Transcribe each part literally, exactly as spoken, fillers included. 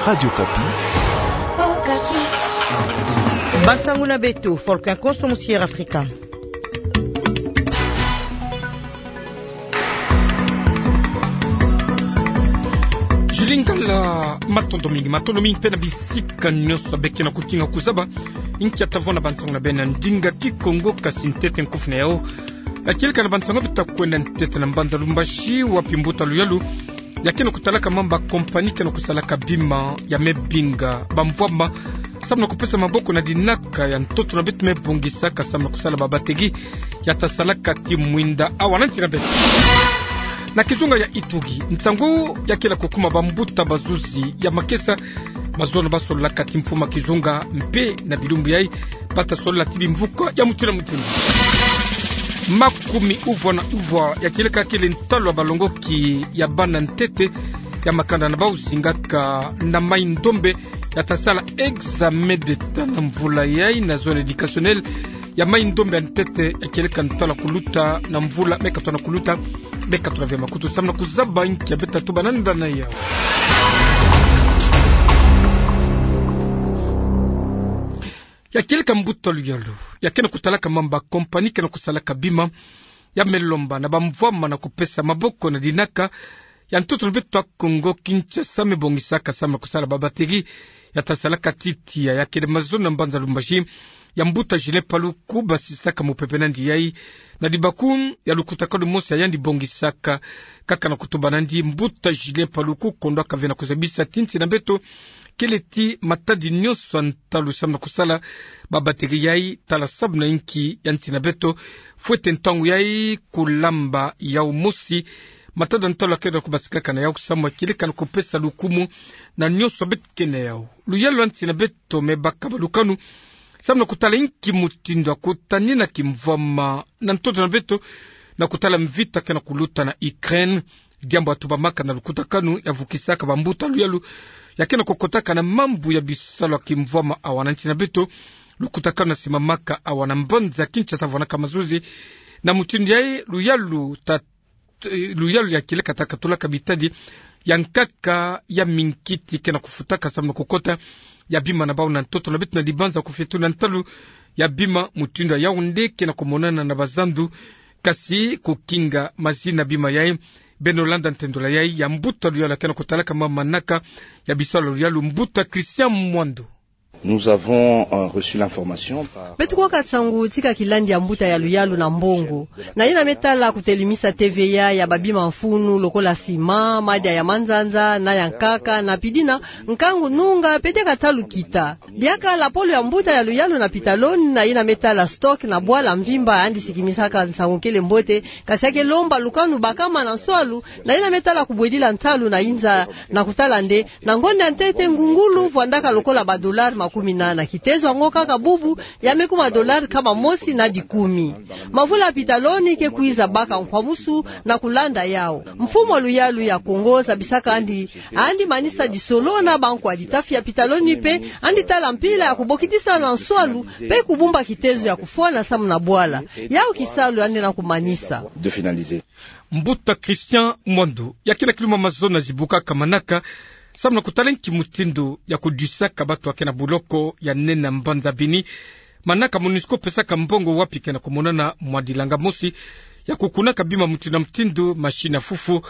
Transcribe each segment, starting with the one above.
Radio Okapi. Bansangu na beto, Volcan Konso, Musier Afrika. Jilingala, matondo mingi, matondo mingi mpe na bisika nyonso beke na kukinga kuzaba inkia ta vwanda bansangu na beno na ndinga Kikongo, kasi ntete nkufi na yao. Yakieleka na bansangu beto ta kwenda ntete na mbanza Lubumbashi, wapi mbuta luyalu ya ke na kutalaka mambu ya kompani ke na kusalaka bima ya me binga bamvwama samu na kupesa maboko na dinaka ya ntoto na beto me bongisaka samu na kusala babatterie ya ta salaka ti mwinda awa na nsi na beto. Na kizunga ya Ituri, nsangu ya ke na kukuma bambuta bazuzi ya makesa, mazono ba sololaka ti mfumu ya kizunga mpe na bilumbu yai ba ta solola ti bimvuka ya mutindu na mutindu. Makumi uvwa na uvwa yakieleka kele ntalu ya balongoki ya bana ntete ya makanda na bau zingaka na Mai-Ndombe ya ta sala examen d'Etat na mvula yai na zone éducationnelle ya Mai-Ndombe ya ntete, yakieleka ntalu ya kuluta na mvula me ka tona kuluta, me ka tona via makutu samu na kuzaba inkia beto ta tuba na ndana yau. Yakieleka mbuta luyalu ya ke na kutalaka mambu ya kompani ke na kusalaka bima ya me lomba na bamvwama na kupesa maboko na dinaka ya ntoto na beto ya Kongo-Kinshasa me bongisaka samu na kusala babatterie ya ta salaka ti tiya, ya kele mazono na mbanza Lubumbashi ya mbuta Julien Paluku basisaka mupepe na yandi yai na dibaku ya lukutakanu mosi ya yandi bongisaka. Kaka na kutuba na yandi, mbuta Julien Paluku kondwaka ve na kuzabisa ti nsi na beto kele ti matadi nyonso ya ntalu samu na kusala babatterie yai, tala samu na inki ya nsi na beto fwete ntangu yai kulamba yau mosi. Matadi ya ntalu ya ke na kubasikaka na yau samu ya kieleka na kupesa lukumu na nyonso beto ke na yau. Luyalu ya nsi na beto me baka balukanu samu na kutala inki mutindu ya kutanina kimvwama na ntoto na beto na kutala mvita ke na kuluta na Ukraine. Diambu ya tubamaka na lukutakanu ya vukisaka bambuta luyalu ya ke na kukotaka na mambu ya bisalu ya kimvwama awa na nsi na beto. Lukutakanu ya simamaka awa na mbanza Kinshasa vwanaka mazuzi. Na mutindu yai luyalu ta, luyalu yakieleka ta katulaka bitadi ya nkaka ya minkiti ke na kufutaka samu na kukota ya bima na bau na ntoto na beto na dibanza kufetu na ntalu ya bima mutindu ya Yaoundé ke na kumonana na bazandu, kasi kukinga mazina bima yai. Beno landa ntendolo yai ya mbuta luyalu ya ke na kutalaka ma manaka ya bisalu ya luyalu, mbuta Christian Mwando. Nous avons, euh, reçu l'information par... Beto kuwaka nsangu ti kakilandi ya mbuta ya luyalu na mbongo, na yina me tala kutelemisa T V A ya babima mfunu lokola sima, madia ya manzanza na ya nkaka, na pidina nkangu nunga pe diaka ta lukita. Diaka lapolo ya mbuta ya luyalu na Pitaloni na yina me tala stock na bwala mvimba, yandi sikimisaka nsangu kele mbote, kasi ya ke lomba lukanu bakama na nswalu na yina me tala kubwedila ntalu na inza, na kutala nde na ngonda ya ntete ngungulu vwandaka lokola badolari makumi nana, kitezo yango kaka bubu ya me kuma dolari nkama mosi na dikumi. Mavula ya Pitaloni ke kwiza baka nkwamusu na kulanda yau. Mfumu ya luyalu ya Kongo zabisaka yandi, yandi manisa disolo na bankwa ditafi ya Pitaloni pe yandi tala mpila ya kubokidisa na nswalu pe kubumba kitezo ya kufwana samu na bwala. Yau kisalu yandi na kumanisa. De finaliser. Mbuta Christian Mwando, ya ke na kiluma mazono na zibukaka manaka samu na kutala nki mutindu ya kudisaka bato ya ke na buloko ya nene ya mbanza Beni. Manaka MONUSCO pesaka mbongo wapi ke na kumonana mwa dilanga mosi ya kukunaka bima mutindu na mutindu, machine ya fufu,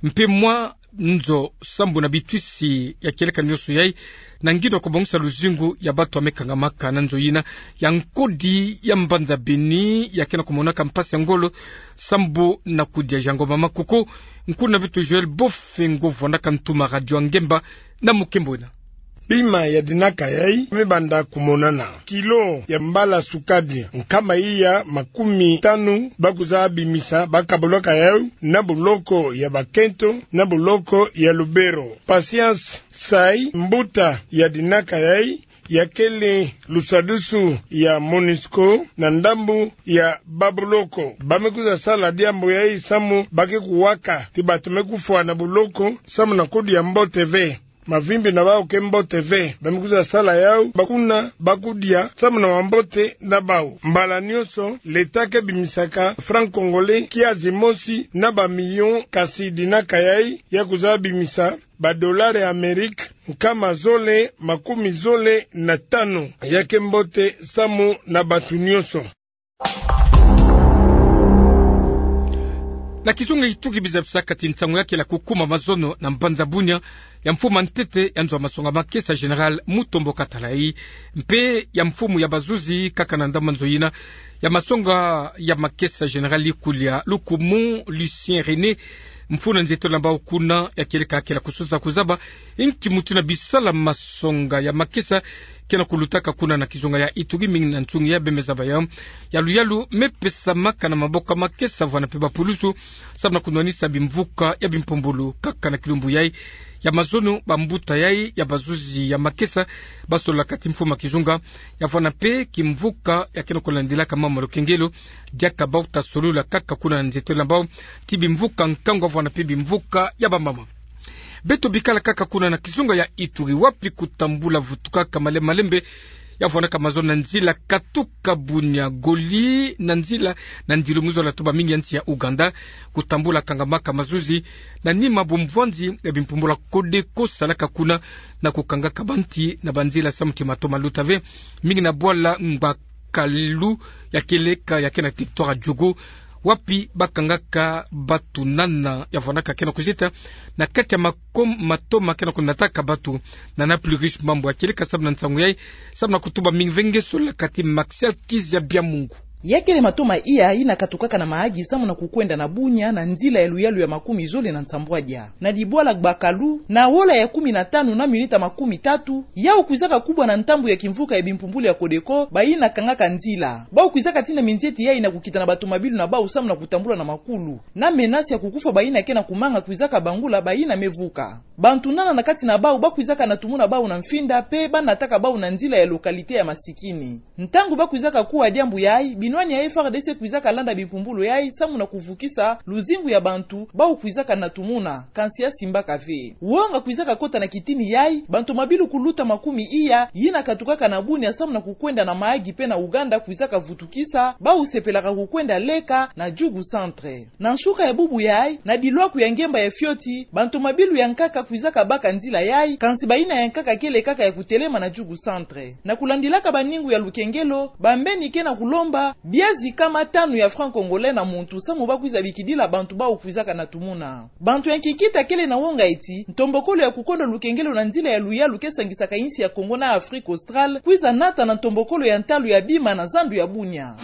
mpe mwa nzo sambu na bitwisi ya kieleka nyonso yai, na ngindo ya kubongisa luzingu ya bato ya me kangamaka na nzo yina ya nkodi ya mbanza Beni, ya ke na kumonaka mpasi ya ngolo sambu na kudia jango mama kuko. Nkuna beto Joël Bofengo vwandaka ntuma Radio Ngemba na mukembo ena. Bima ya dinaka yai me banda kumonana. Kilo ya mbala sukadi nkama iya makumi tanu ba kwiza bimisa, ba kabolaka yau na buloko ya Bakento na buloko ya Lubero. Patience Sai, mbuta ya dinaka yai, ya kele lusadusu ya MONUSCO na ndambu ya babuloko. Ba me kwiza sala diambu yai samu ba ke kuwaka ti bato me kufwa na buloko samu na kudia mbote ve. Mavimbi na bau ke mbote ve. Ba me kwiza sala yau, ba kuna ba kudia samu na mambote na bau. Mbala nyonso, l'État ke bimisaka franc congolais kiazi mosi na ba millions, kasi dinaka yai ya kwiza bimisa ba dollars ya Amérique nkama zole makumi zole na tanu. Ya ke mbote samu na bantu nyonso. Na kizunga Ituri biza bisaka ti nsangu ya kele kukuma mazono na mbanza Bunia, ya mfumu ya ntete ya nzo ya masonga makesa Général Mutombo Katalai, mpe ya mfumu ya bazuzi kaka na ndambu nzo yina ya masonga ya makesa Général Likulia Lukumu Lucien René, mfunu na nzietolo ya bau kuna ya kieleka kele kusosa kuzaba inki mutu na bisalu ya masonga ya makesa ke na kulutaka kuna na kizunga ya Ituri, mingi na nsungi ya bemeza baya ya luyalu me pesamaka na maboko ya makesa vwanda mpe bapulusu, samu na kunwanisa bimvuka ya bimpumbulu. Kaka na kilumbu yai ya mazono, bambuta yai ya bazuzi ya makesa basololaka ti mfumu ya kizunga ya vwanda mpe kimvuka ya ke na kulandilaka mama lukengelo, diaka bau ta solola kaka kuna na nzietolo ya bau ti bimvuka nkangu vwanda mpe bimvuka ya bamama. Beto bikala kaka kuna na kizunga ya Ituri, wapi kutambula vutukaka malembe malembe ya vwandaka mazono na nzila katuka Bunia Goli na nzila na ndilu mu zola to bamingi ya nsi ya Ouganda, kutambula kangamaka mazuzi na nima bumvwanzi ya bimpumbulu ya Codeco salaka kuna, na kukangaka banti na banzila samu ti mato maluta ve, mingi na bwala Ngba Kalu ya kieleka ya ke na territoire ya Djougou, wapi bakangaka batu nana ya vwandaka ke na kuzita na kati ya makom-, mato ma ke na kunataka batu na na plus riche mambu ya kieleka. Samu na nsangu yai, samu na kutuba mingi ve nge sololaka ti Maxial Kizia Biamungu. Ya kele mato ma iya yina katukaka na mayaki samu na kukwenda na Bunia na nzila ya luyalu ya makumi zole na nsambwadia. Na dibwala Ngba Kalu, na ola ya kumi na tanu na minita makumi tatu, yau kwizaka kubwa na ntambu ya kimvuka ya bimpumbulu ya Codeco, bayina kangaka nzila. Bau kwizaka tina minzieti yai na kukita na batomabilu na bau samu na kutambula na makulu. Na menace ya kukufa bayina ke na kumanga kwizaka bangula bayina me vuka. Bantu nana na kati na bau bakwizaka na tumuna bau na mfinda, mpe banataka bau na nzila ya localité ya masikini. Ntangu bakwizaka kuwa diambu yai, binwani ya F A R D C kwizaka landa bimpumbulu yai samu na kuvukisa luzingu ya bantu bau kwizaka na tumuna, kansi ya simbaka ve. Wonga kwizaka kota na kitini yai, bantomabilu kuluta makumi iya, yina katukaka na Bunia samu na kukwenda na mayaki mpe na Ouganda kwizaka vutukisa bau sepelaka kukwenda leka na Djugu Centre. Na nsuka ya bubu yai, na dilwaku ya ngemba ya fioti, bantomabilu ya nkaka kwizaka baka nzila yai, kansi bayina ya nkaka kele kaka ya kutelema na Djugu Centre. Na kulandilaka baningu ya lukengelo, bambeni ke na kulomba bia zikama tanu ya franc congolais na muntu samu bakwiza bikidila bantu bau kwizaka na tumuna. Bantu ya nkikita kele na wonga eti ntombokolo ya kukonda lukengelo na nzila ya luyalu ke sangisaka insi ya Congo na Afrique Australe kwiza nata na ntombokolo ya ntalu ya bima na zandu ya Bunia.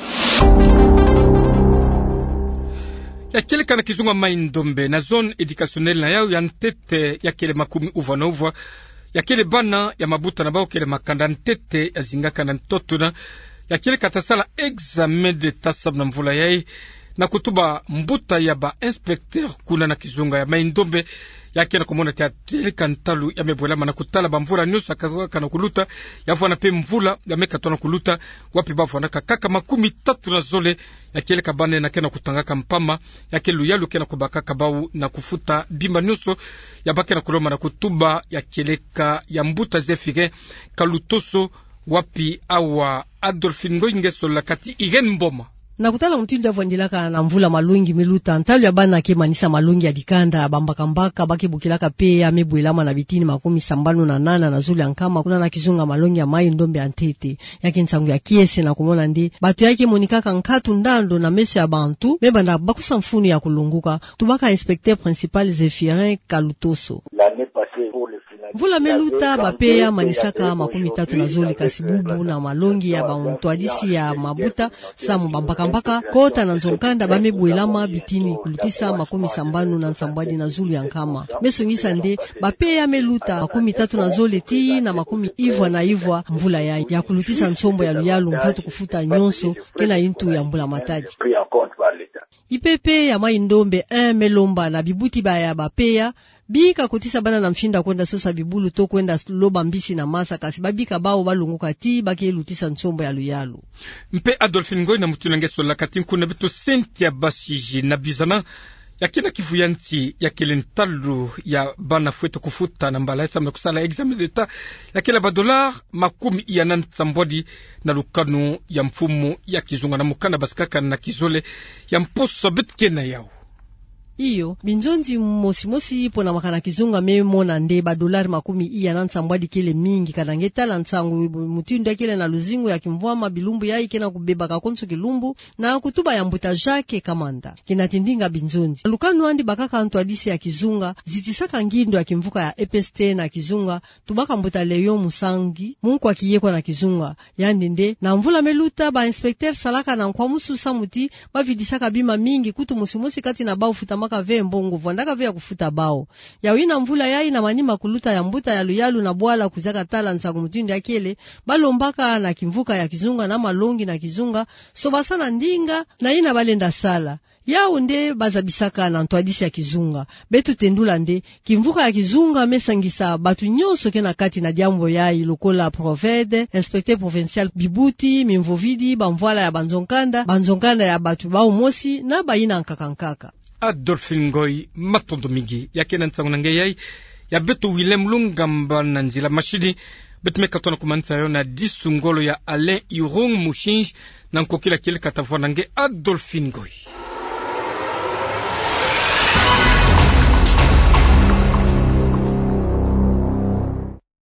Ya kieleka na kizunga Mai-Ndombe, na zone éducationnelle na yau ya ntete ya kele makumi uvwa na uvwa, ya kele bana ya mabuta na bau kele makanda ntete ya zingaka na ntoto na ya kieleka ta sala examen d'État samu na mvula yai, na kutuba mbuta ya ba inspecteur kuna na kizunga ya Mai-Ndombe, ya ke na kumona ti ya kieleka ntalu ya me bwelama na kutala bamvula nyonso ya kazaka na kuluta, ya vwanda mpe mvula ya me katoa na kuluta, wapi ba vwandaka kaka makumi tatu na zole ya kieleka bana na ke na kutangaka mpama, ya ke luyalu ke na kubakaka bau na kufuta bima nyonso ya ba ke na kulomba na kutuba ya kieleka ya mbuta Zéphirin Kalutoso, wapi awa Adolphine Ngoy nge sololaka ti Irène Mboma. Na kutala mutindu ya vwandilaka na mvula malongi me luta, ntalu ya bana ke manisa malongi ya dikanda, bambakambaka ba ke bokilaka PEA me bwelama na bitini makumi sambanu na nana na zulu ya nkama, kuna na kizunga malongi ya Mai-Ndombe ya ntete. Ya ke nsangu ya kiese na kumona nde bato ya ke monikaka nkatu ndando na meso ya bantu, me banda bakusa mfunu ya kulonguka, tubaka inspecteur principal Zéphirin Kalutoso. Mvula me luta, ba PEA manisaka makumi tatu na zole, kasi bubu na malongi ya bantwadisi ya mabuta samu bambakambaka, kota na nzo-nkanda ba me bwelama bitini kulutisa makumi sambanu na nsambwadi na zulu ya nkama. Me songisa nde ba PEA me luta makumi tatu na zole tii na makumi ivwa na ivwa mvula yai, ya kulutisa nsombo ya luyalu, nkatu kufuta nyonso, ke na intu ya mbula matadi. IPP ya Mai-Ndombe un me lomba na bibuti baya ba PEA bika kotisa bana na mfinda kwenda sosa bibulu to kwenda loba mbisi na masa, kasi babika bau balongoka tii ba ke lutisa nsombo ya luyalu. Mpe Adolphine Ngoy, na mutindu nge sololaka ti nkuna beto Cynthia Basiji, na bizana ya ke na kivu ya nsi ya kele ntalu ya bana fwete kufuta na mbala yai samu na kusala examen d'État ya kele ba dollars makumi iya na nsambwadi, na lukanu ya mfumu ya kizunga na mukanda basikaka na kizole ya mposo beto ke na yau. Iyo, binzonzi mosi mosi pona makana kizunga me mona nde ba dolari makumi iya na nsambwadi kele mingi, kana nge tala nsangu mutindu ya kele na luzingu ya kimvwama, bilumbu yayi ke na kubebaka konso kilumbu, na kutuba ya mbuta Jacques Kamanda. Kina tindinga binzonzi. Lukanu andi bakaka ntwadisi ya kizunga, zitisaka ngindo ya kimvuka ya E P S T na kizunga, tubaka mbuta Léon Musangi, munkwa kiyekwa na kizunga. Yandi nde, na mvula me luta, ba inspecteur salaka na nkwa musu samu ti, bavidisaka bima mingi, kutu mosi mosi kati na bau futamaka ve mbongo, vwandaka ve ya kufuta bau. Yayi na mvula yayi na manima kuluta ya mbuta yalu yalu na bwala kuziaka tala nsangu mutindu ya kele, balombaka na kimvuka ya kizunga na malongi na kizunga, sobasana ndinga na yina balenda sala. Yau nde bazabisaka na ntwadisi ya kizunga. Beto tendula nde, kimvuka ya kizunga me sangisa batu nyonso ke na kati na diambu yayi lokola Proved, inspecteur provincial, bibuti, mimvovidi, bamvwala ya banzo-nkanda, banzo-nkanda ya batu bau mosi, na bayina nkaka nkaka. Adolphine Ngoy, matondo mingi. Ya ke na nsangu na nge yayi, ya beto Willem Lungamba na nzila mashini, beto me katoa na kumanisa yo na disu ngolo ya Alain Irung Mushinji, na nkokila kile katavwa na nge Adolphine Ngoy.